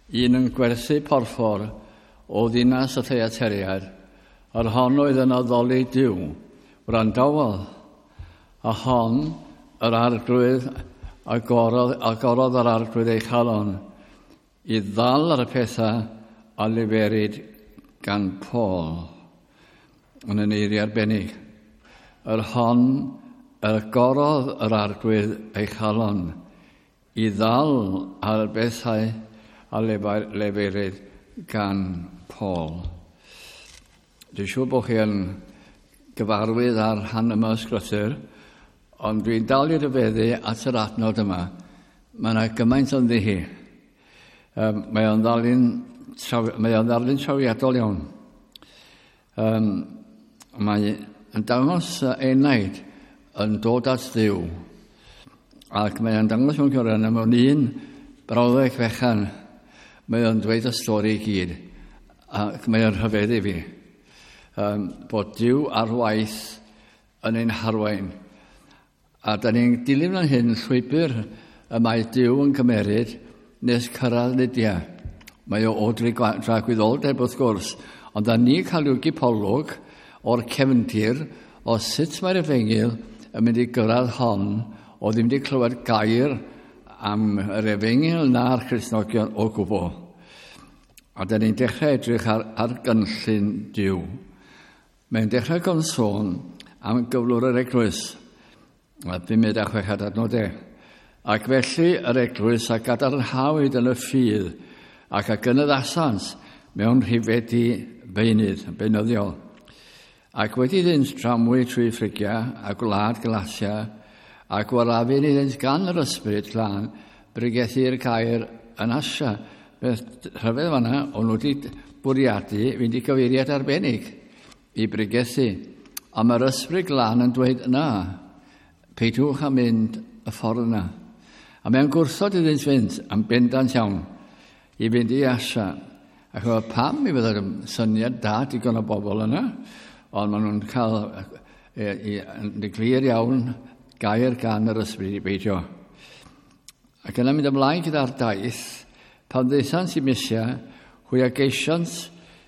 un yn gwerthu porffor o ddinas y Thyateriad, yr hon oedd yn addoli Duw, wrandawodd, a hon yr Arglwydd agorodd, agorodd yr Arglwydd ei chalon i ddal ar y pethau a leferid gan Paul yn y eiriau arbennig. Yr hon yr agorodd yr Arglwydd ei chalon i ddal ar y bethau a leferydd gan Paul. Dwi'n siŵr bod chi yn gyfarwydd ar rhan yma ysgrythur, ond dwi'n dal i ryfeddu at yr adnod yma. Mae yna gymaint ynddi hi. Mae o'n ddarlun, mae o'n ddarlun trawiadol iawn. Mae yn dangos enaid yn dod at Dduw. Ac mae o'n dangos mewn gwirionedd mewn un brawddeg fechan. Mae o'n dweud y stori i gyd. Ac mae o'n rhyfedd i fi. Bod Duw ar waith yn ein harwain. A da ni'n dilyn fan hyn llwybr y mae Duw yn cymeryd nes cyrraedd Lydia. Mae o o dragwyddoldeb wrth gwrs, ond da ni cael rhyw gipolwg o'r cefndir o sut mae'r efengyl yn mynd i gyrraedd hon o ddim wedi clywed gair am yr efengyl na'r Cristnogion o gwbl. A da ni'n dechrau edrych ar gynllun Duw. Mae'n dechrau gan sôn am gyflwr yr eglwys. A 5 a 6 adnod e. Ac felly yr eglwys a gadarnhawyd yn y ffydd ac a gynyddasant mewn rhifedi beunydd, beunyddiol. Ac wedi iddynt tramwy trwy Ffrygia a gwlad Galatia a gwarafun iddynt gan yr ysbryd glân bregethu'r gair yn Asia. Beth rhyfedd fanna, o'n nhw wedi bwriadu fynd i gyfeiriad arbennig i bregethu. A mae'r ysbryd glân yn dweud, na, peidiwch â mynd y ffordd yna. A mae'n gwrthod iddynt fynd am bendant iawn i fynd i Asia. Ac oedd pam i fydda'r syniad da digon o bobl yna, ond maen nhw'n cael yn glir iawn gair gan yr ysbryd i beidio. Ac yna mynd ymlaen gyda'r daith, pan ddaethant i Mysia, hwy a geisiant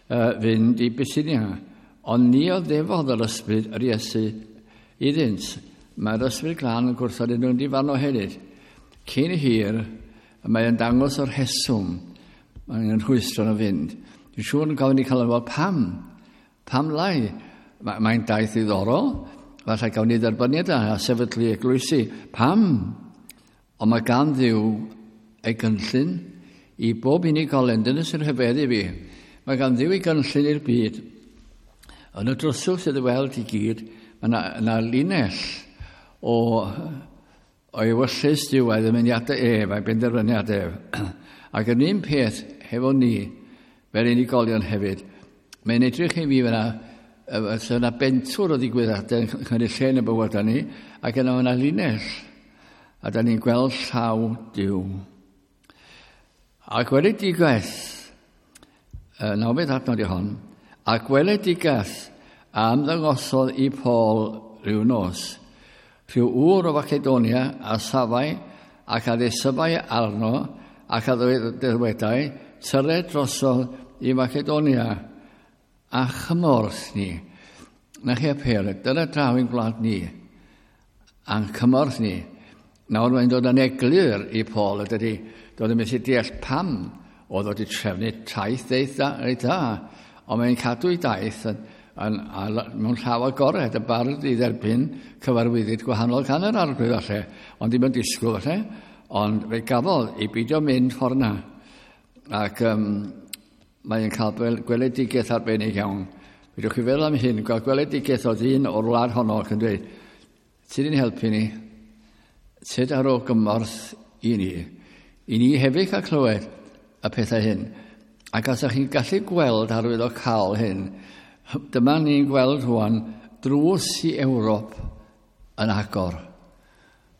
fynd i Bithynia, ond ni oddefodd yr ysbryd yr Iesu iddynt. Mae'r ysbryd glân yn gwrthod yn nhw'n difan o hefyd. Cyn hir, mae yn dangos o'r rheswm mae'n rhwystro nhw fynd. Dwi'n siŵr yn gofyn i cael yn pam? Pam lai? Mae'n daith ddiddorol. Falle gawn ni dderbyniad a sefydlu eglwysi. Pam? Ond mae gan Dduw ei gynllun i bob unigolyn. Dyna sy'n rhyfeddu fi. Mae gan Dduw ei gynllun i'r byd. Yn y dryswch sydd i weld i gyd, mae yna linell o ewyllys Duw a'i ddymuniadau ef a'i benderfyniad ef. Ac yn un peth hefo ni, fel unigolion hefyd, mae'n edrych i fi fyna, yna bentwr o ddigwyddiadau yn cymryd lle yn y bywydau ni, ac yna yna linell, a da ni'n gweld llaw Duw. A gweledigaeth, nawfed adnod i hon, a gweledigaeth a ymddangosodd i Paul rhyw nos, rhyw ŵr o Facedonia a safai ac a ddeisyfai arno ac a ddywedai, tyred drosodd i Macedonia a chymorth ni. Na chi apêl, dyna draw i'n gwlad ni, a'n cymorth ni. Nawr mae'n dod yn eglur i Paul, ydy, doedd yn methu deall pam oedd wedi trefnu taith eitha, reit dda, ond mae'n cadw ei daith mewn llaw agored, y barod i dderbyn cyfarwyddyd gwahanol gan yr Arglwydd falle, ond ddim yn disgwyl falle, ond fe gafodd i beidio mynd ffordd na. Ac mae'n cael gweledigaeth arbennig iawn. Fedrwch chi feddwl am hyn, gweld gweledigaeth o ddyn o'r wlad honno ac yn dweud, ti di'n helpu ni, tyd ar ôl gymorth i ni. I ni hefyd cael clywed y pethau hyn. Ac os ydych chi'n gallu gweld arwydd o cael hyn, dyma ni'n gweld rwan drws i Ewrop yn agor.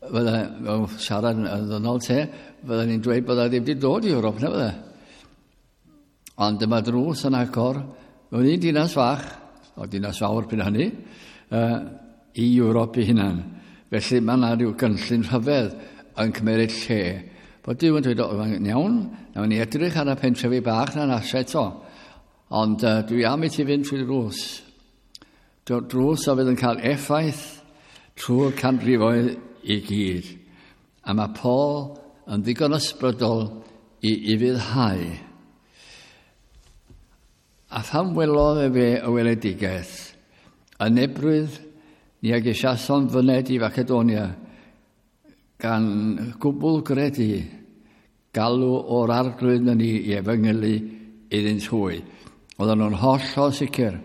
Fydda, mewn siarad yn ddynol te, fydda ni'n dweud bydda ddim wedi dod i Ewrop, na fydda. Ond dyma drws yn agor mewn un dinas fach, o dinas fawr pryd hynny, i Ewrop ei hunan. Felly mae yna rhyw gynllun rhyfedd yn cymeryd lle. Bod Duw yn dweud, o, iawn, nawn ni edrych ar y pentrefi bach na'n asio eto. Ond dwi am i ti fynd trwy drws. Drws a fydd yn cael effaith trwy'r canrifoedd i gyd. A mae Paul yn ddigon ysbrydol i ufuddhau. A phan welodd efe y weledigaeth, yn ebrwydd ni ag eisiason fyned i Facedonia, gan gwbl gredu galw o'r arglwydd na ni i efengylu iddynt hwy. Oedden nhw'n hollol sicr.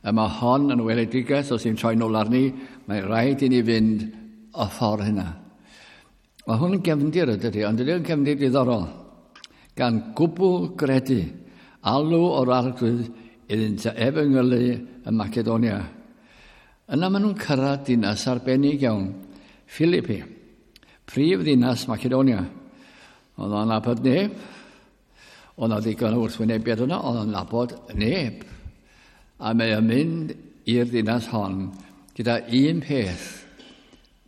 A mae hon yn weledigaeth, os i'n troi nôl arni, mae rhaid i ni fynd y ffordd hynna. Mae hwn yn gefndir ydy, ond ydy yn gefndir diddorol. Gan gwbl gredu, alw o'r arglwydd iddynt efengylu ym Macedonia. Yna maen nhw'n cyrraedd dinas arbennig iawn, Philippi, prif ddinas Macedonia. Oedd o'n nabod neb. Oedd o'n ddigon o wrthwynebiad yna, oedd o'n nabod neb. A mae o'n mynd i'r ddinas hon gyda un peth,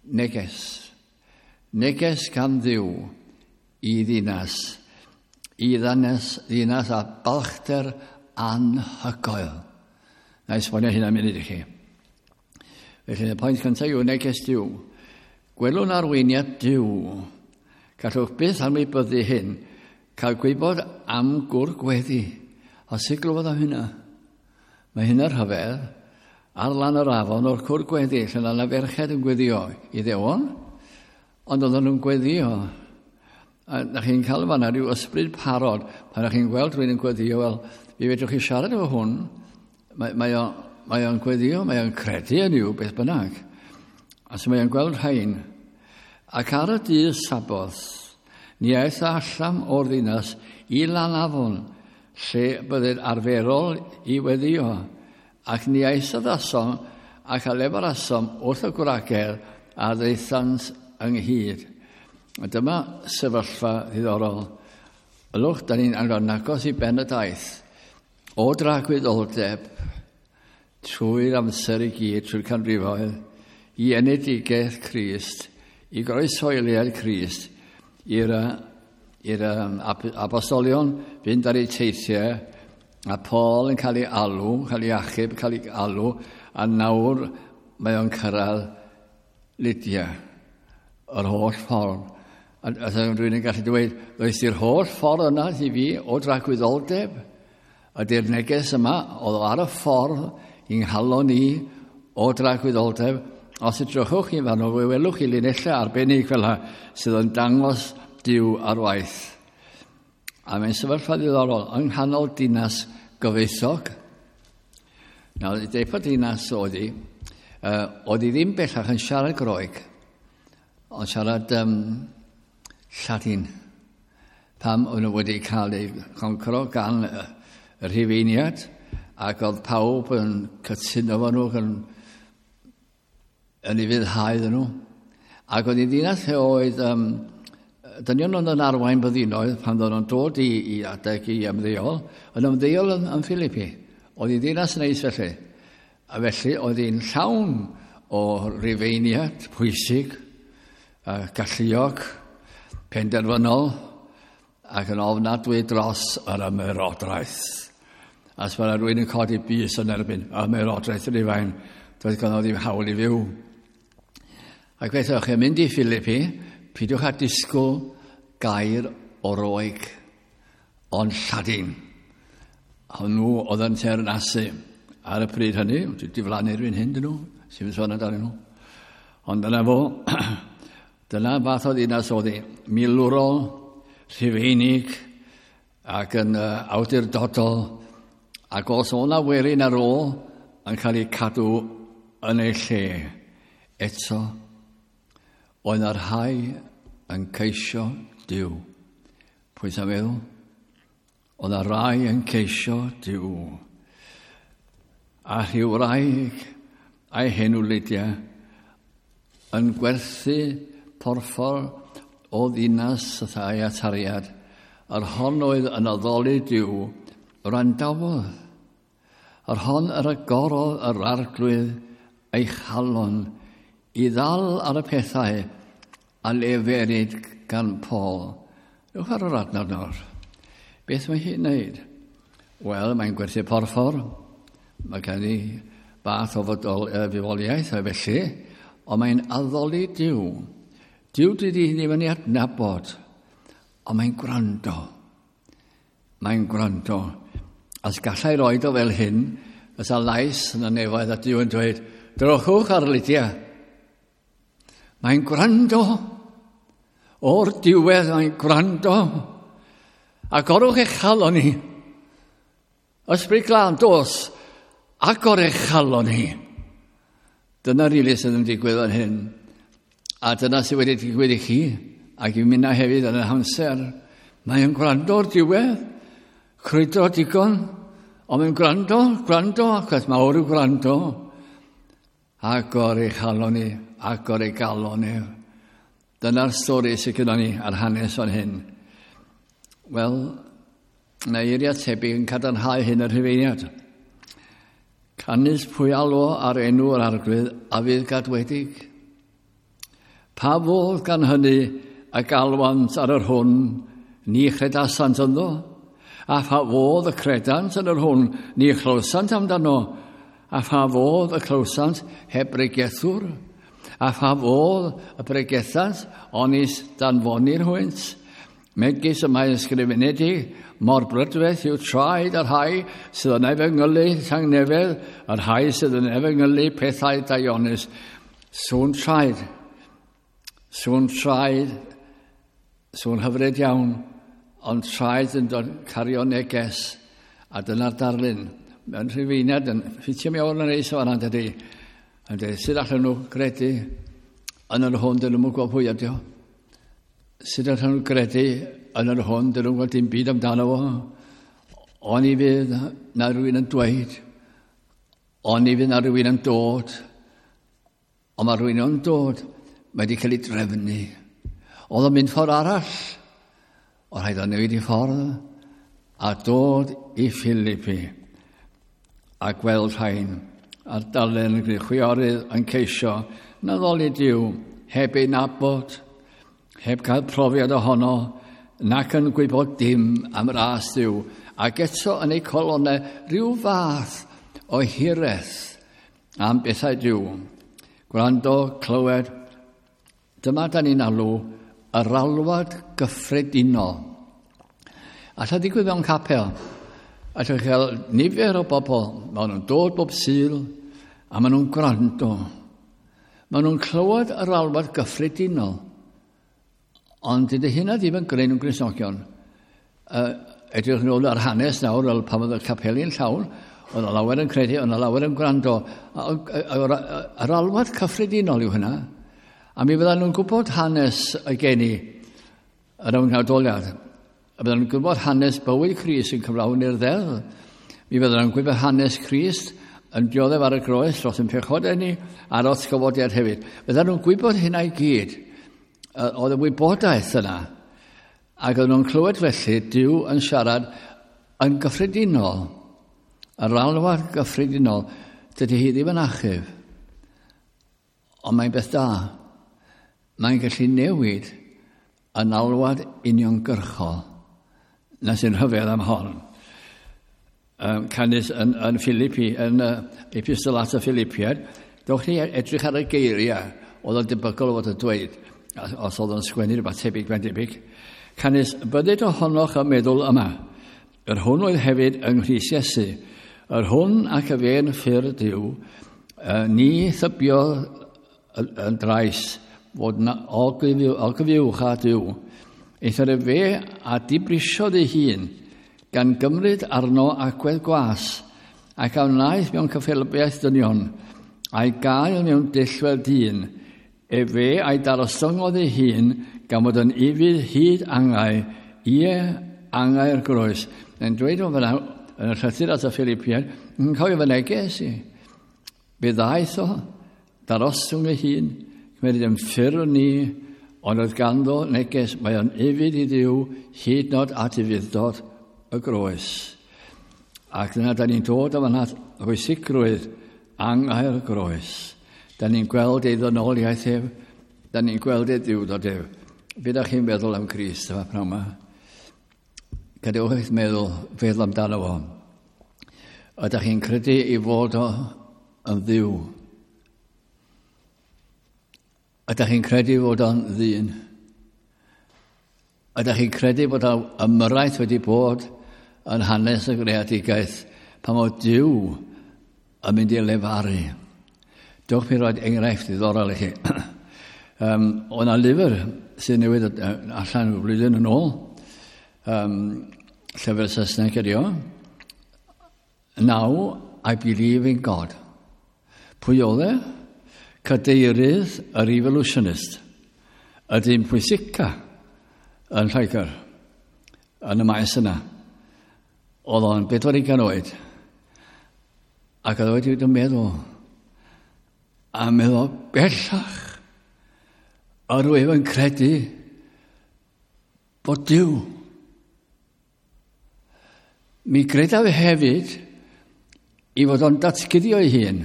neges. Neges gan Dduw i ddinas, i ddinas, ddinas a balchder anhygoel. Na i esbonio hynna munud i chi. Felly, y pwynt cyntaf yw neges Duw. Gwelwn arweiniad Duw. Gallwch byth anwybyddu hyn, cael gwybod am gwr gweddi. A sut glywodd am hynna? Mae hynna rhyfedd. Ar lan yr afon o'r cwr gweddi, lle yna ferched yn gweddio i ddewon, ond oedden nhw'n gweddio. A na chi'n cael fanna rhyw ysbryd parod, pan na chi'n gweld rhywun yn gweddio, wel, fi fedrwch chi siarad efo hwn, mae, mae, o, mae o'n gweddio, mae o'n credu yn yw, beth bynnag. A so mae o'n gweld rhain. Ac ar y dydd Saboth, ni aeth allan o'r ddinas i lan afon, lle byddai'r arferol i weddio, ac ni aethaddasom ac a lefarasom wrth y gwragedd a ddaethant ynghyd. A dyma sefyllfa ddiddorol. Ylwch, da ni'n agos i ben y daith. O dragwyddoldeb, trwy'r amser i gyd, trwy'r canrifoedd, i enedigaeth Crist, i groeshoeliad Crist, i'r i'r apostolion fynd ar eu teithiau, a Paul yn cael ei alw, cael ei achub, cael ei alw, a nawr mae o'n cyrraedd Lydia, yr holl ffordd. A, a rhywun yn gallu dweud, does i'r holl ffordd yna i fi o dragwyddoldeb, ydy'r neges yma, oedd o ar y ffordd i'n nghalon i o dragwyddoldeb. Os edrychwch chi fan fe welwch chi linellau arbennig fel yna sydd yn dangos Duw ar waith. A mae'n sefyllfa ddiddorol yng nghanol dinas gyfoethog. Nawr, deip o dinas oedd hi, oedd hi ddim bellach yn siarad Groeg, ond siarad Lladin. Pam o'n nhw wedi cael eu concro gan y Rhufeiniad, ac oedd pawb yn cytuno fo nhw, yn, yn ufuddhau iddyn nhw. Ac oedd hi'n ddinas lle oedd dynion oedd yn arwain byddinoedd pan oedden nhw'n dod i, i adeg i ymddeol, yn ymddeol yn, yn Philippi. Oedd hi'n ddinas neis felly. A felly oedd hi'n llawn o Rufeiniad pwysig, galluog, penderfynol, ac yn ofnadwy dros yr ymerodraeth. A os mae rhywun yn codi bys yn erbyn ymerodraeth Rufain, doedd ganddo ddim hawl i fyw. Ac felly, o'ch chi'n mynd i Philippi, peidiwch â disgwyl gair o Roeg, ond Lladin. Hwnnw oedd yn teyrnasu ar y pryd hynny, wedi diflannu rhywun hyn dyn nhw, sy'n mynd sôn amdanyn nhw. Ond dyna fo, dyna fath o ddinas oedd hi, milwrol, Rhufeinig, ac yn awdurdodol, ac os o'na werin ar ôl yn cael ei cadw yn ei lle, eto, oedd yna rhai yn ceisio Duw. Pwy sy'n meddwl? Oedd yna rai yn ceisio Duw. A rhyw wraig a'i henw Lydia yn gwerthu porffor o ddinas y thai a tariad, yr hon oedd yn addoli Duw, wrandawodd. Yr hon yr agorodd yr arglwydd ei chalon i ddal ar y pethau a leferid gan Paul. Ewch ar yr adnod nawr. Beth mae hi'n neud? Wel, mae'n gwerthu porffor. Mae gen i bath o fodol, fywoliaeth, a felly, ond mae'n addoli Duw. Duw dydy hi ddim yn ei adnabod, ond mae'n gwrando. Mae'n gwrando. As gallai roed o fel hyn, fysa lais yn y nefoedd a Duw yn dweud, drochwch ar Lydia. Mae'n gwrando. O'r diwedd mae'n gwrando. Agorwch eich chalon ni. Ysbryd Glân, dos, agor eich chalon ni. Dyna rili sydd yn digwydd fan hyn. A dyna sydd wedi digwydd i chi, ac i minna hefyd yn y hamser. Mae'n gwrando o'r diwedd, crwydro digon, ond mae'n gwrando, gwrando, achos mawr yw gwrando. Agor ei chalon ni, agor ei galon ni. Dyna'r stori sydd gyda ni ar hanes fan hyn. Wel, mae eiriau tebyg yn cadarnhau hyn yr Rhufeiniad. Canys pwy alwo ar enw yr Arglwydd a fydd gadwedig. Pa fodd gan hynny y galwant ar yr hwn ni chredasant ynddo? A pha fodd y credant yn yr hwn ni chlywsant amdano? A pha fodd y clywsant heb bregethwr? A pha fodd y pregethant onis danfonir hwynt? Megis y mae ysgrifenedig, mor brydferth yw traed y rhai sydd yn efengylu tangnefedd, y rhai sydd yn efengylu pethau daionus. Sŵn traed. Sŵn traed. Sŵn hyfryd iawn, ond traed yn dod cario neges. A dyna'r darlun. Mewn rhufeiniad yn ffitio mewn yn neis o fan'na, dydy. Yn dweud, sut allan nhw gredu yn yr hwn dyn nhw'n gwybod pwy ydi o? Sut allan nhw gredu yn yr hwn dyn nhw'n gwybod dim byd amdano fo? Oni fydd na rhywun yn dweud, oni fydd na rhywun yn dod, ond mae rhywun yn dod, mae wedi cael ei drefnu. Oedd o'n mynd ffordd arall, oedd rhaid o newid i ffordd, a dod i Philippi, a gweld rhain, a'r darllen yn gwneud chwiorydd yn ceisio na ddoli Duw heb ei nabod, heb gael profiad ohono, nac yn gwybod dim am ras Duw, ac eto yn eu colonnau rhyw fath o hiraeth am bethau Duw. Gwrando, clywed, dyma da ni'n alw yr alwad gyffredinol. Alla ddigwydd mewn capel. Allwch chi gael nifer o bobl, maen nhw'n dod bob Sul, a maen nhw'n gwrando. Maen nhw'n clywed yr alwad gyffredinol. Ond dydy hynna ddim yn gwneud nhw'n Gristnogion. Edrych nôl ar hanes nawr, fel pan oedd y capeli'n llawn, oedd yna lawer yn credu, oedd yna lawer yn gwrando. Yr alwad cyffredinol yw hynna. A mi fyddan nhw'n gwybod hanes y geni yr ymgnawdoliad. A byddan nhw'n gwybod hanes bywyd Crist yn cyflawni'r ddeddf. Mi fyddan nhw'n gwybod hanes Crist yn dioddef ar y groes dros yn pechodau ni a'r atgyfodiad hefyd. Fyddan nhw'n gwybod hynna i gyd. Oedd y wybodaeth yna. Ac oedden nhw'n clywed felly Duw yn siarad yn gyffredinol. Yr alwad gyffredinol, dydy hi ddim yn achub. Ond mae'n beth da. Mae'n gallu newid yn alwad uniongyrchol. Na sy'n rhyfedd am hon. Canys yn Philippi, yn Epistol at y Philippiaid, dowch ni edrych ar y geiriau oedd yn debygol o fod yn dweud, os oedd yn sgwennu rhywbeth tebyg, mae'n debyg. Canys bydded ohonoch y meddwl yma, yr hwn oedd hefyd yng Nghrist Iesu, yr hwn ac y fe'n ffyrdd Duw, ni thybiodd yn drais fod na ogyfuwch â Duw. Eithr y fe a dibrisiodd ei hun, gan gymryd arno agwedd gwas, ac a wnaeth mewn cyffelybiaeth dynion, a'i gael mewn dull fel dyn, efe a'i darostyngodd ei hun, gan fod yn ufudd hyd angau, ie angau'r groes. Mae'n dweud o fyna, yn y llythyr at y Philippiaid, yn cofio fy neges i. Fe ddaeth o, darostwng ei hun, cymryd yn ffurf ni, ond oedd ganddo neges, mae o'n ufudd i Dduw, hyd nod at ufudd-dod y groes. Ac dyna da ni'n dod o fan'na bwysigrwydd angau'r groes. Da ni'n gweld ei ddynoliaeth ef, da ni'n gweld ei dduwdod ef. Be ydych chi'n meddwl am Grist yma pnawn yma? Gadewch eich meddwl feddwl amdano fo. Ydych chi'n credu i fod o yn ddiw? Ydych chi'n credu fod o'n ddyn? Ydych chi'n credu bod ymyrraeth wedi bod yn hanes y greadigaeth pan oedd Duw yn mynd i lefaru? Dewch mi roed enghraifft ddiddorol i chi. O 'na lyfr sydd newydd allan y flwyddyn yn ôl, llyfr Saesneg ydi o. Now I Believe in God. Pwy oedd e? Cadeirydd yr evolutionist. Y dyn pwysica yn Lloegr, yn y maes yna. Oedd o'n 40 oed. Ac oedd o wedi bod yn meddwl, a meddwl bellach, yr wyf yn credu bod Duw. Mi gredaf hefyd i fod o'n datguddio ei hun.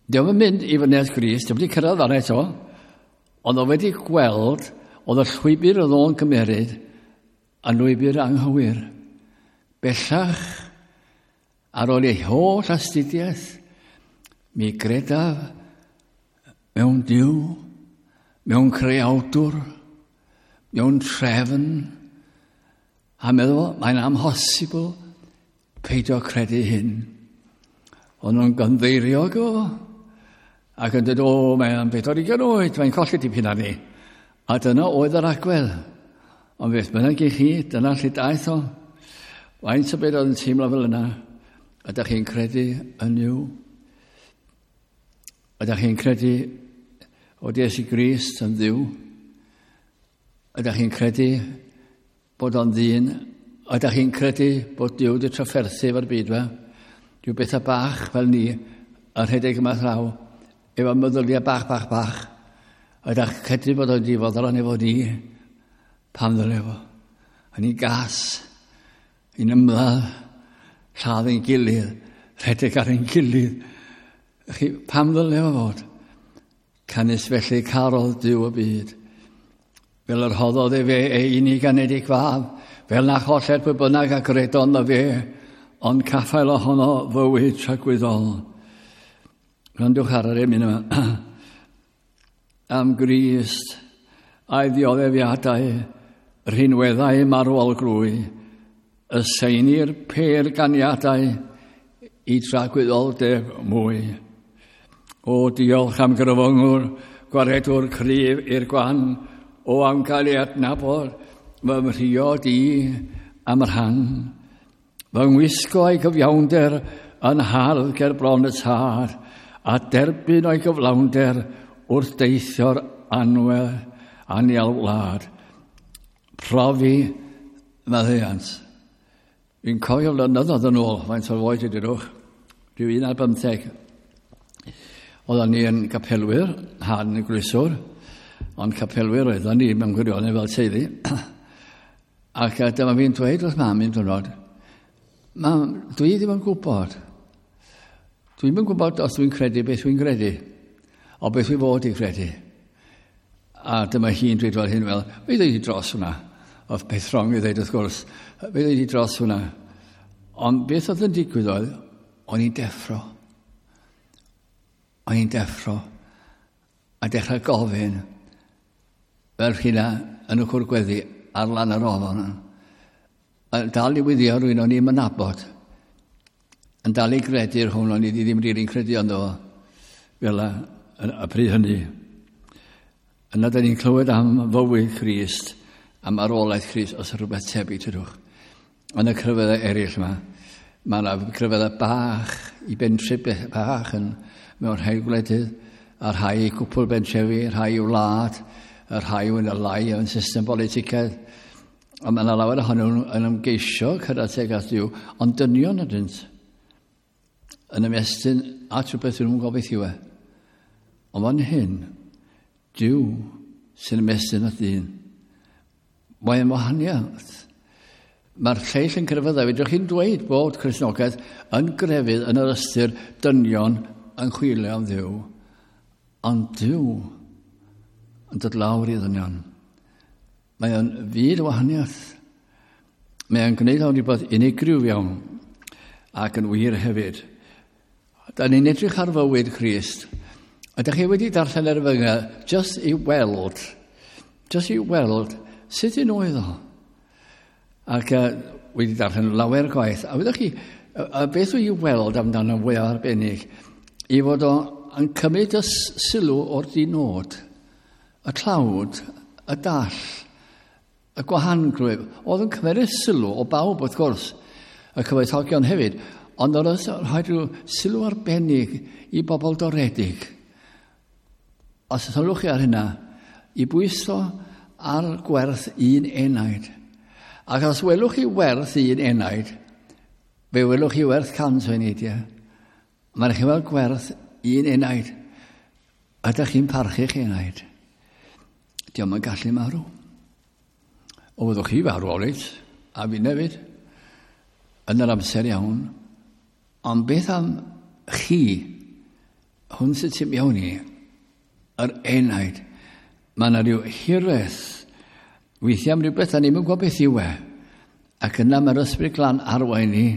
Dio'm yn mynd i fyny at Grist, dio'm wedi cyrraedd fan eto, ond o wedi gweld oedd y llwybr oedd o'n cymeryd yn lwybr anghywir. Bellach, ar ôl ei holl astudiaeth, mi gredaf mewn Duw, mewn creawdwr, mewn trefn, a meddwl, mae'n amhosibl peidio credu hyn. Ond nhw'n gynddeiriog o, ac yn dweud, o, mae'n 40 oed, mae'n colli dipyn arni. A dyna oedd yr agwedd. Ond beth bynnag i chi, dyna lle daeth o. Faint o beth oedd yn teimlo fel yna? Ydych chi'n credu yn Nuw? Ydych chi'n credu o Iesu Grist yn Dduw? Ydych chi'n credu bod o'n ddyn? Ydych chi'n credu bod Duw wedi trafferthu efo'r byd fe? Rhyw bethau bach fel ni yn rhedeg yma thraw, efo meddyliau bach, bach, bach. Ydych chi'n credu bod o'n wedi fodlon efo ni? Pam ddyle fo? Yn ei gas, yn ymladd, lladd ein gilydd, rhedeg ar ein gilydd. Chi, pam ddyle fo fod? Canys felly carodd Duw y byd. Fel yr hoddodd efe ei unig anedig fab, fel na choller pwy bynnag a gredo ynddo fe, ond caffael ohono fywyd tragwyddol. Gwrandwch ar yr emyn yma. Am Grist a'i ddioddefiadau, rhinweddau marwol glwy, y seinir pêr ganiadau i dragwyddoldeb mwy. O, diolch am gryfyngwr, gwaredwr cryf i'r gwan, o am gael ei adnabod, fy mhriod i am rhan. Fy ngwisgo a'i gyfiawnder yn hardd ger bron y tad, a derbyn o'i gyflawnder wrth deithio'r anwel anial wlad. Profi maddeuant. Fi'n cofio flynyddoedd yn ôl, faint o'r oed ydych, rhyw 15. Oedden ni yn capelwyr, han yn glwyswr, ond capelwyr oedden ni mewn gwirionedd fel teulu. Ac dyma fi'n dweud wrth mam un diwrnod, mam, dwi ddim yn gwybod. Dwi ddim yn gwybod os dwi'n credu beth dwi'n credu, o beth dwi fod i credu. A dyma hi'n dweud fel hyn, fel, fe ddweud i dros hwnna. Oedd peth wrong i ddweud wrth gwrs, fe ddweud i dros hwnna. Ond beth oedd yn digwydd oedd, o'n i'n deffro. O'n i'n deffro a dechrau gofyn fel rhywna yn y cwr gweddi ar lan yr ofon. A dal i wyddio rhywun o'n i'n mynabod. Yn dal i gredu'r hwn o'n i ddim rili'n credu ynddo fo. Fel y pryd hynny. Yna da ni'n clywed am fywyd Crist, am arolaeth Crist, os rhywbeth tebyg tydwch. Yn y crefyddau eraill yma, mae yna crefyddau bach i bentre bach yn mewn rhai gwledydd, a rhai i cwpl bentrefi, rhai i wlad, a rhai yn y lai yn system politicaidd. A mae yna lawer ohonyn nhw yn ymgeisio cyrraedd tuag at Dduw, ond dynion ydynt yn ymestyn at rhywbeth nhw'n gobeithio e. Ond fan hyn, Duw sy'n ymestyn at ddyn. Mae'n wahaniaeth. Mae'r lleill yn crefyddau. Fedrwch chi'n dweud bod Cristnogaeth yn grefydd yn yr ystyr dynion yn chwilio am Dduw. Ond Duw yn dod lawr i ddynion. Mae o'n fyd o wahaniaeth. Mae o'n gwneud o'n rhywbeth unigryw iawn ac yn wir hefyd. Da ni'n edrych ar fywyd Crist. Ydych chi wedi darllen yr efengyl just i weld, just i weld sut un oedd o. Ac wedi darllen lawer gwaith. A wyddoch chi, a beth wy'n weld amdano fwy arbennig, i fod o yn cymryd y sylw o'r dinod, y tlawd, y dall, y gwahangrwydd. Oedd yn cymryd sylw o bawb, wrth gwrs, y cyfoethogion hefyd, ond oedd yn rhoi rhyw sylw arbennig i bobl doredig. Os sylwch chi ar hynna, i bwyso ar gwerth un enaid. Ac os welwch chi werth un enaid, fe welwch chi werth 100 o eneidiau. Mae'n chi weld gwerth un enaid. Ydych chi'n parchu'ch enaid? Diolch yn gallu marw. O, fyddwch chi farw, olit, a fi hefyd, yn yr amser iawn. Ond beth am chi, hwn sydd tu mewn i, yr enaid, mae yna rhyw hiraeth, weithiau am rhywbeth a ni'n gwybod beth yw e, ac yna mae'r Ysbryd Glân arwain ni,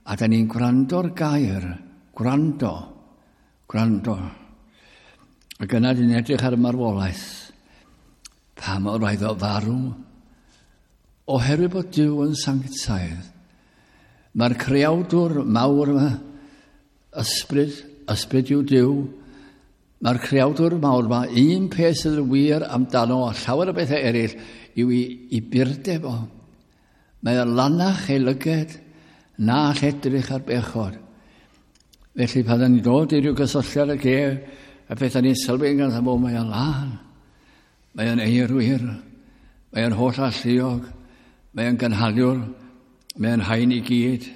a da ni'n gwrando'r gair, gwrando, gwrando. Ac yna dyn ni'n edrych ar y marwolaeth. Pam o rhaid o farw? Oherwydd bod Duw yn sanctaidd. Mae'r creawdwr mawr yma, ysbryd, ysbryd yw Duw, mae'r creawdwr mawr yma, un peth sydd yn wir amdano a llawer o bethau eraill yw i burdeb o. Mae o'n lanach ei lyged na all edrych ar bechod. Felly pan ni'n dod i ryw gysylltiad ag ef, a beth ni'n sylwi yn gyntaf, mae o'n lân, mae o'n eirwyr, mae o'n holl alluog, mae o'n gynhaliwr, mae o'n haen i gyd.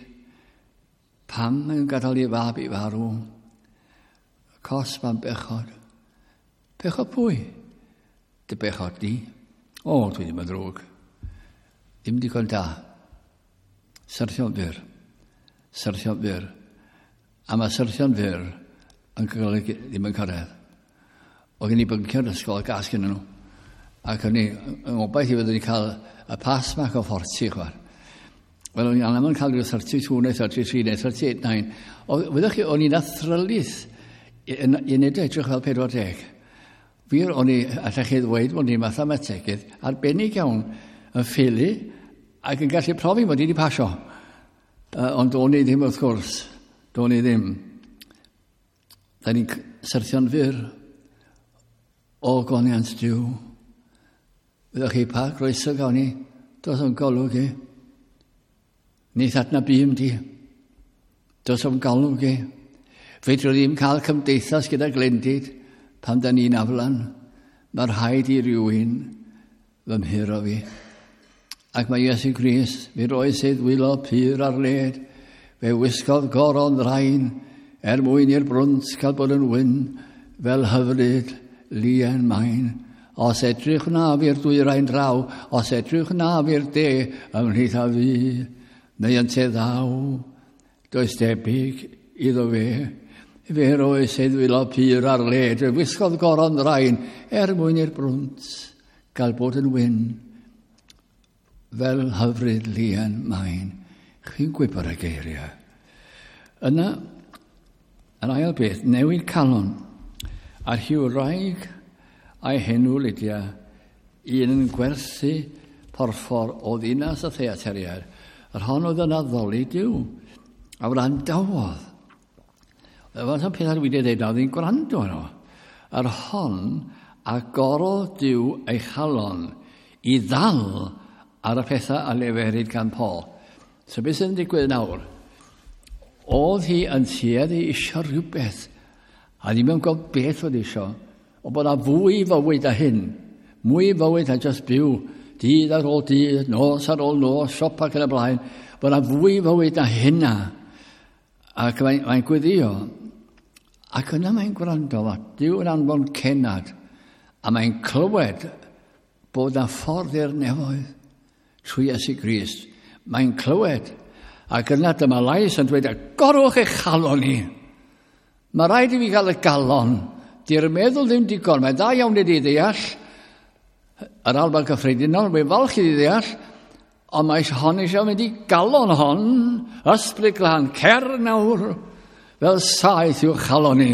Pam mae'n gadael i fab i farw? Cosb am bechod. Bechod pwy? Dy bechod di. O, dwi ddim yn ddrwg. Ddim digon da. Syrthio'n fyr. Syrthio'n fyr. A mae syrthio'n fyr yn golygu ddim yn cyrraedd. Oedd gen i byncio'r ysgol a gas gen nhw. Ac o'n i yn obaith i fyddwn ni cael y pass mark o 40, chwar. Wel, o'n i'n anaml yn cael rhyw 32 neu 33 neu 38, 9. Wyddwch chi, o'n i'n athrylith i wneud edrych fel 40. Wir, o'n i, allech chi ddweud bod ni'n mathemategydd arbennig iawn yn ffili ac yn gallu profi mod i wedi pasio. Ond o'n i ddim, wrth gwrs. Do'n i ddim. Da ni'n syrthio'n fyr o goniant Duw. Fyddwch chi pa groeso gawn ni, dos o'n golwg i. Neith adnabûm di. Dos o'n golwg i. Fedrwn ddim cael cymdeithas gyda glendid pan da ni'n aflan. Mae rhaid i rywun fy mhuro fi. Ac mae Iesu Grist, mi roes ei ddwylo pur ar led, fe wisgodd goron ddrain, er mwyn i'r brwnt cael bod yn wyn, fel hyfryd lien main. Os edrych wnaf i'r dwyrain draw, os edrych wnaf i'r de ymhlith a fi, neu ynte ddaw, does debyg iddo fe. Fe roes ei ddwylo pur ar led, fe wisgodd goron ddrain, er mwyn i'r brwnt gael bod yn wyn, fel hyfryd lien main. Chi'n gwybod y geiriau. Yna, yn ail beth, newid calon. A rhywraig a'i henw Lydia, un yn gwerthu porffor o ddinas y theateriad, yr hon oedd yn addoli Duw, a wrandawodd. Fath o pethau dwi wedi dweud, oedd hi'n gwrando arno. Yr hon agorodd Duw ei chalon i ddal ar y pethau a leferid gan Paul. So beth sydd yn digwydd nawr? Oedd hi yn tueddu isio rhywbeth, a ddim yn gwybod beth oedd isio, o bod na fwy fywyd a hyn, mwy fywyd a just byw, dydd ar ôl dydd, nos ar ôl nos, siopa ac yn y blaen, bod na fwy fywyd a hynna. Ac mae'n gweddio, ac yna mae'n gwrando, mae Duw yn anfon cenad, a mae'n clywed bod na ffordd i'r nefoedd trwy Iesu Grist. Mae'n clywed, ac yna dyma lais yn dweud, agorwch eich chalon i. Mae rhaid i fi gael y galon. Di'r meddwl ddim digon, mae'n dda iawn i di ddeall. Yr alban gyffredinol, mae'n falch i ddeall, ond mae hon eisiau mynd i galon hon, Ysbryd Glân, cer nawr, fel saeth i'w chalon ni.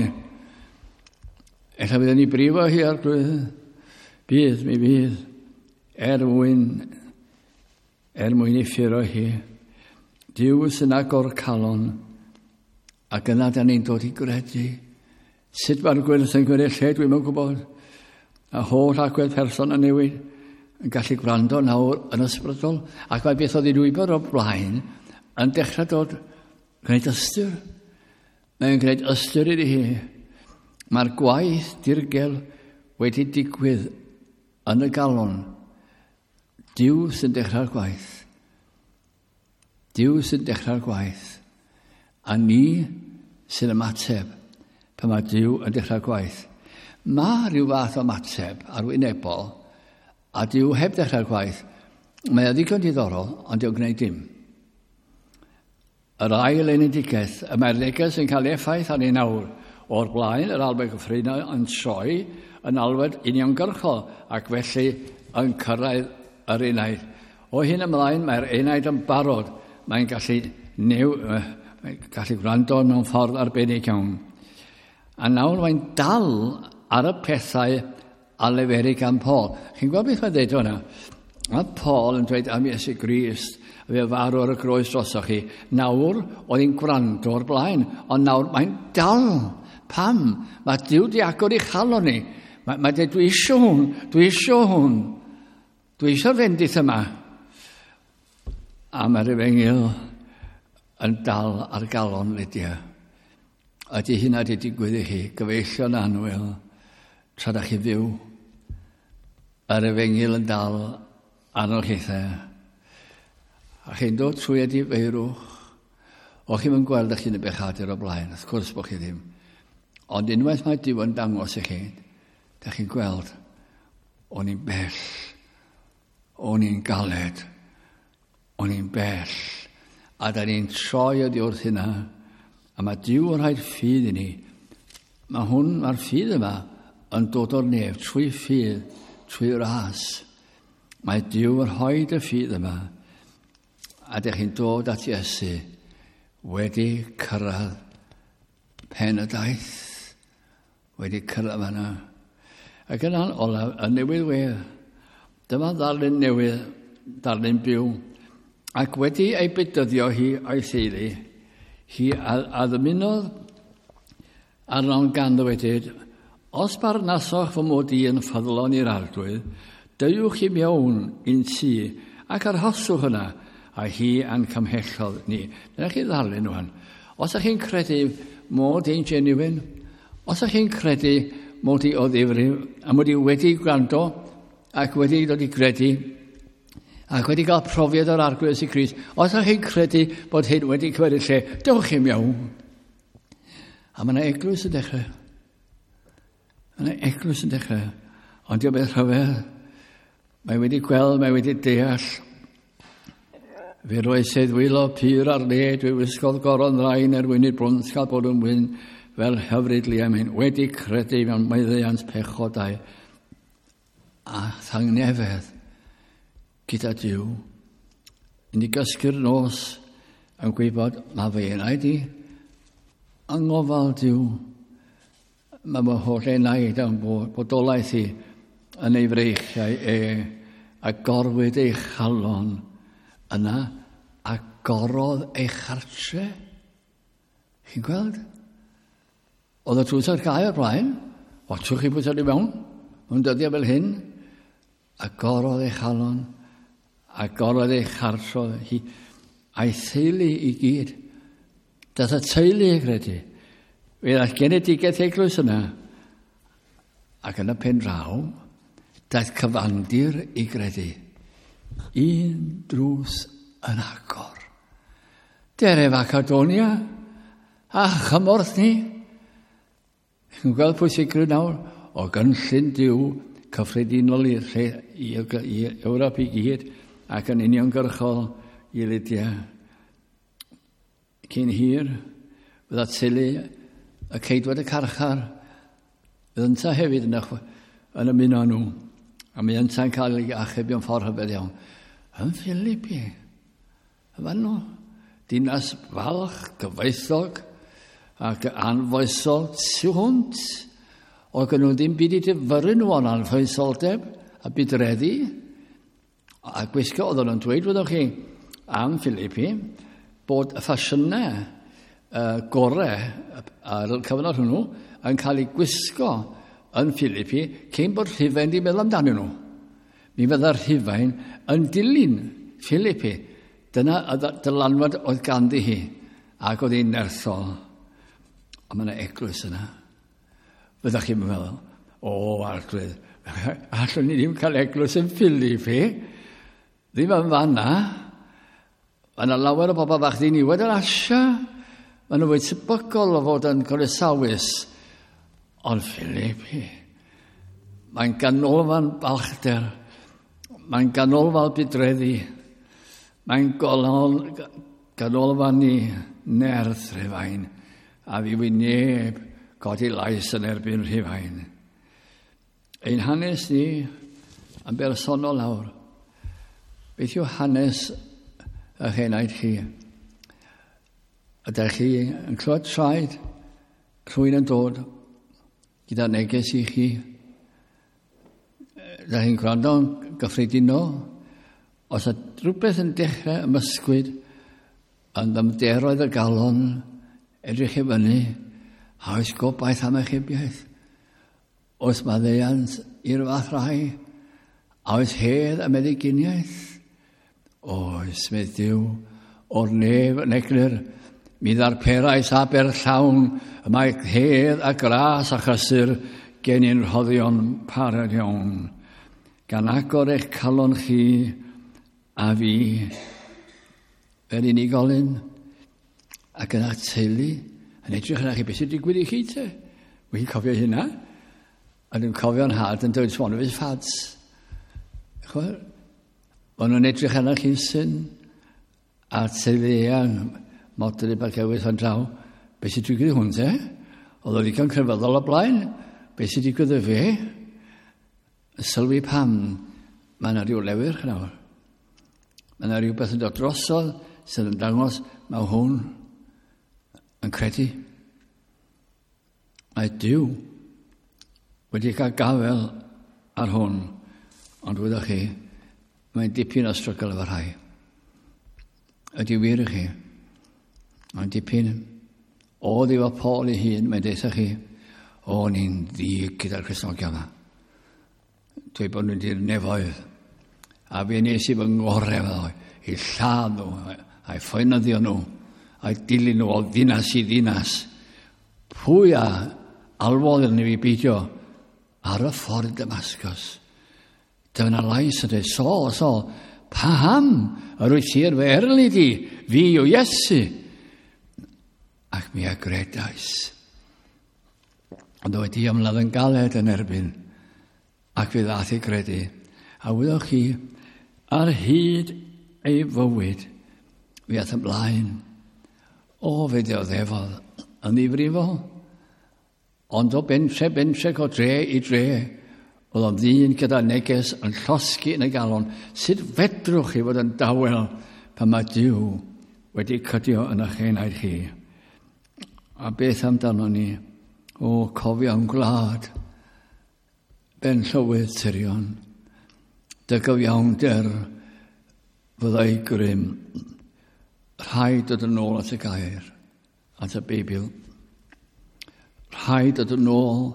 Ella byddwn ni brifo hi, Arglwydd. Bydd, mi fydd, er mwyn ei ffuro hi. Duw sy'n agor calon, ac yna da ni'n dod i gredu. Sut mae'r gwyrth yn gwneud lle, dwi'n yn gwybod. A holl agwedd person yn newid yn gallu gwrando nawr yn ysbrydol. Ac mae beth oedd i'n wybod o'r blaen yn dechrau dod gwneud ystyr. Mae'n gwneud ystyr iddi hi. Mae'r gwaith dirgel wedi digwydd yn y galon. Duw sy'n dechrau'r gwaith. Duw sy'n dechrau'r gwaith. A ni sy'n ymateb pan mae Duw yn dechrau'r gwaith. Mae rhyw fath o ymateb arwynebol a Duw heb dechrau'r gwaith. Mae o ddigon diddorol, ond dyw'n gwneud dim. Yr ail enedigaeth, y mae'r neges yn cael effaith arni nawr. O'r blaen, yr alwad gyffredinol yn troi yn alwad uniongyrchol ac felly yn cyrraedd yr enaid. O hyn ymlaen, mae'r enaid yn barod. Mae'n mae'n gallu gwrando mewn ffordd arbennig iawn. A nawr mae'n dal ar y pethau a leferu gan Paul. Chi'n gweld beth mae'n dweud hwnna? Mae Paul yn dweud am Iesu Grist, a fe farw ar y groes drosoch chi. Nawr, oedd hi'n gwrando o'r blaen, ond nawr mae'n dal. Pam? Mae Duw di agor ei chalon ni. Mae dweud, "Dwi eisiau hwn, dwi eisiau hwn. Dwi eisiau'r fendith yma." A mae'r efengyl yn dal ar galon Lydia. Ydy hynna wedi digwydd i chi, gyfeillion annwyl, tra da chi fyw? Yr efengyl yn dal arnoch chithau. A chi'n dod trwy edifeirwch. O chi'n mynd gweld eich hun yn bechadur o blaen, wrth gwrs bod chi ddim. Ond unwaith mae Duw yn dangos i chi, da chi'n gweld, o'n i'n bell, o'n i'n galed, o'n i'n bell. A da ni'n troi oddi wrth hynna, a mae Duw yn rhoi'r ffydd i ni. Mae'r ffydd yma yn dod o'r nef trwy ffydd, trwy ras. Mae Duw yn rhoi y ffydd yma, a dych chi'n dod at Iesu wedi cyrraedd pen y daith, wedi cyrraedd fanna. Ac yna'n olaf, y newydd wedd, dyma ddarlun newydd, darlun byw, ac wedi ei bedyddio hi a'i theulu, hi a ddymunodd arnon gan ddywedyd, "Os barnasoch fy mod i yn ffyddlon i'r Arglwydd, deuwch i mewn i'n tŷ ac arhoswch yna," a hi a'n cymhellodd ni. Dyna chi ddarlun rwan. Os ydych chi'n credu mod i'n genuine, os ydych chi'n credu mod i o ddifrif, a mod i wedi gwrando ac wedi dod i gredu, ac wedi cael profiad o'r Arglwydd Iesu Grist, os ydych chi'n credu bod hyn wedi cymryd lle, dewch chi mewn. A mae yna eglwys yn dechrau. Mae yna eglwys yn dechrau. Ond diolch beth rhyfedd. Mae wedi gweld, mae wedi deall. Fe roes ei ddwylo pur ar led, fe wisgodd goron ddrain er mwyn i'r brwnt gael bod yn wyn fel hyfryd liamin, wedi credu mewn maddeuant pechodau a thangnefedd gyda Duw. I ni gysgu'r nos yn gwybod mae fy enaid i yng ngofal Duw. Mae fy holl enaid yn bodolaeth i yn ei freichiau e, a gorwyd ei chalon yna agorodd ei chartre. Chi'n gweld? Oedd y drws ar gau o'r blaen. Watwch chi pwy i mewn. Mewn dyddiau fel hyn. Agorodd ei chalon. Agorodd ei chartre hi. A'i theulu i gyd. Dath y teulu i gredu. Fe ddaeth genedigaeth eglwys yna. Ac yn y pen draw, daeth cyfandir i gredu. Un drws yn agor. Dere Macedonia a chymorth ni. Chi'n gweld pwysigrwydd nawr o gynllun Duw cyffredinol i'r lle, i Ewrop i gyd ac yn uniongyrchol i Lydia. Cyn hir, fydda teulu y ceidwad y carchar, fydd ynta hefyd yn ymuno nhw. A mi yntau'n cael ei achub mewn ffordd rhyfedd iawn. Yn Philippi. Yma nhw. Dinas falch, gyfoethog, ac anfoesol tu hwnt. Oedd gen nhw ddim byd i difyrru nhw o'n anfoesoldeb a budreddi. A gwisgo oedden nhw'n dweud, wyddwch chi, am Philippi, bod y ffasiynau gorau ar y cyfnod hwnnw yn cael eu gwisgo yn Philippi cyn bod Rhufain wedi meddwl amdanyn nhw. Mi fydda'r Rhufain yn dilyn Philippi. Dyna y dylanwad oedd ganddi hi, ac oedd hi'n nerthol. Ond mae yna eglwys yna. Fyddech chi'n meddwl, o, arglwydd, allwn ni ddim cael eglwys yn Philippi. Ddim yn fanna. Mae yna lawer o bobl fach ddiniwed yn Asia. Maen nhw fwy tebygol o fod yn groesawus. Ond Philippi, mae'n ganolfan balchder. Mae'n ganolfan budreddi. Mae'n ganolfan i nerth Rhufain. A fi wy neb godi lais yn erbyn Rhufain. Ein hanes ni yn bersonol nawr. Beth yw hanes eich enaid chi? Ydych chi yn clywed traed rhywun yn dod gyda neges i chi? Ydych chi'n gwrando'n gyffredinol? Os ydy rhywbeth yn dechrau ymysgwyd yn dymderoedd y galon, edrych i fyny, a oes gobaith am achubiaeth? Oes maddeuant i'r fath rai? A oes hedd a meddyginiaeth? Oes, medd Duw, o'r nef yn eglur, mi ddarperais aber llawn, y mae hedd a gras a chysur gen i'n rhoddion parod iawn. Gan agor eich calon chi a fi fel unigolyn ac yn eich teulu yn edrych arna chi, beth sy'n digwydd i chi te? Wy'n cofio hynna. A dwi'n cofio'n nhad yn dweud, it's one of his fads. Chwer, maen nhw'n edrych arna chi'n syn a teulu eang, modryb ac ewythr yn draw. Beth sy'n digwydd i hwn te? Oedd o ddigon crefyddol o blaen. Beth sy'n digwydd i fe? Sylwi pam mae yna rhyw lewyrch nawr. Mae yna rhywbeth yn dod drosodd sydd yn dangos mae hwn yn credu. Mae Duw wedi cael gafael ar hwn, ond wyddoch chi, mae'n dipyn o strygl efo rhai. Ydy wir i chi. Mae'n dipyn o ddiwa Paul ei hun, mae'n deutha chi, o, ni'n ddig gyda'r Cristnogion yma. Dweud bod nhw'n di'r nefoedd. A fe nes i fy ngorau efo i lladd nhw, a'i ffoenyddio nhw, a'i dilyn nhw o ddinas i ddinas. Pwy a alwodd yn i fi beidio ar y ffordd Damascus? Dyma lais yn dweud, Saul, Saul, paham yr wyt ti yn fy erlid i? Fi yw Iesu. Ac mi a gredais. Ond wedi ymladd yn galed yn erbyn, ac fe ddaeth i gredu. A wyddoch chi, ar hyd ei fywyd, fe aeth ymlaen. O, fe ddioddefodd yn ddifrifol. Ond o bentre, bentre, o dre i dre, oedd o'n ddyn gyda neges yn llosgi yn y galon. Sut fedrwch chi fod yn dawel pan mae Duw wedi cydio yn eich enaid chi? A beth amdano ni? O, cofio am gwlad, ben llywydd tirion, dy gyfiawnder fyddai grym. Rhaid dod yn ôl at y gair, at y Beibl. Rhaid dod yn ôl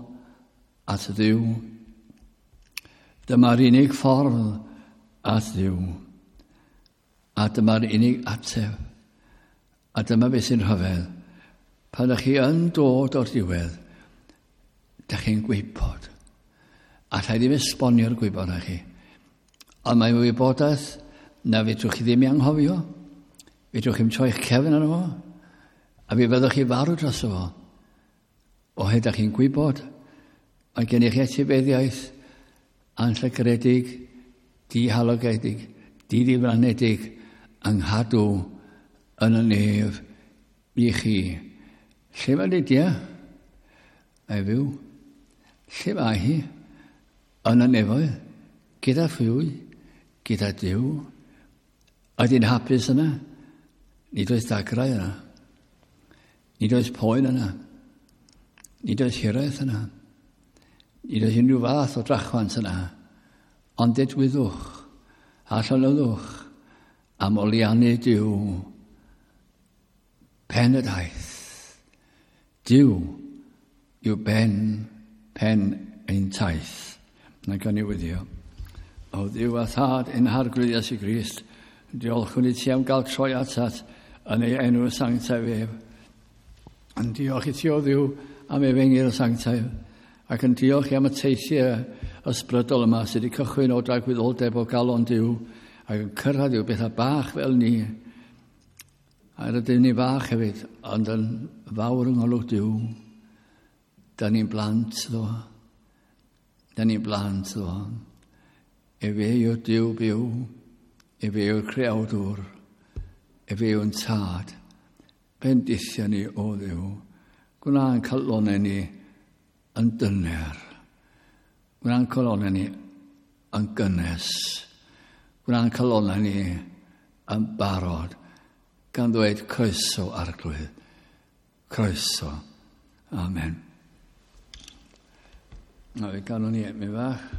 at y Dduw. Dyma'r unig ffordd at Dduw. A dyma'r unig ateb. A dyma beth sy'n rhyfedd. Pan ydych chi yn dod o'r diwedd, ydych chi'n gwybod. Alla i ddim esbonio'r gwybod â chi. Ond mae'n wybodaeth na fedrwch chi ddim ei anghofio. Fedrwch chi'm troi'ch cefn arno fo. A fi fyddwch chi farw dros fo. Oherwydd ydych chi'n gwybod, mae gennych chi etifeddiaeth anllygredig, dihalogedig, diddiflanedig, yng nghadw yn y nef i chi. Lle mae Lydia? Mae fyw. Lle mae hi? Yn y nefoedd. Gyda phwy? Gyda Duw. Ydy'n hapus yna? Nid oes dagrau yna. Nid oes poen yna. Nid oes hiraeth yna. Nid oes unrhyw fath o drachwant yna. Ond dedwyddwch a llonyddwch am oliannu Duw. Pen y daith. Duw yw ben pen ein taith. Na gan i wyddio. O Dduw a Thad ein Harglwydd Iesu Grist, diolchwn i ti am gael troi atat yn ei enw sanctaidd ef. Yn diolch i ti o Dduw am efengyl sanctaidd, ac yn diolch i am y teithiau ysbrydol yma sydd wedi cychwyn o dragwyddoldeb o galon Duw ac yn cyrraedd i'w bethau bach fel ni. A rydym ni fach hefyd, ond yn fawr yng ngolwg Duw. Da ni'n blant ddo. Da ni'n blant ddo. Efe yw'r Duw byw. Efe yw'r creawdwr. Efe yw'n tad. Bendithio ni o Dduw. Gwna'n calonau ni yn dyner. Gwna'n calonau ni yn gynnes. Gwna'n calonau ni yn barod. Gan ddweud croeso Arglwydd. Croeso. Amen. Na, fe ganwn ni mi fach.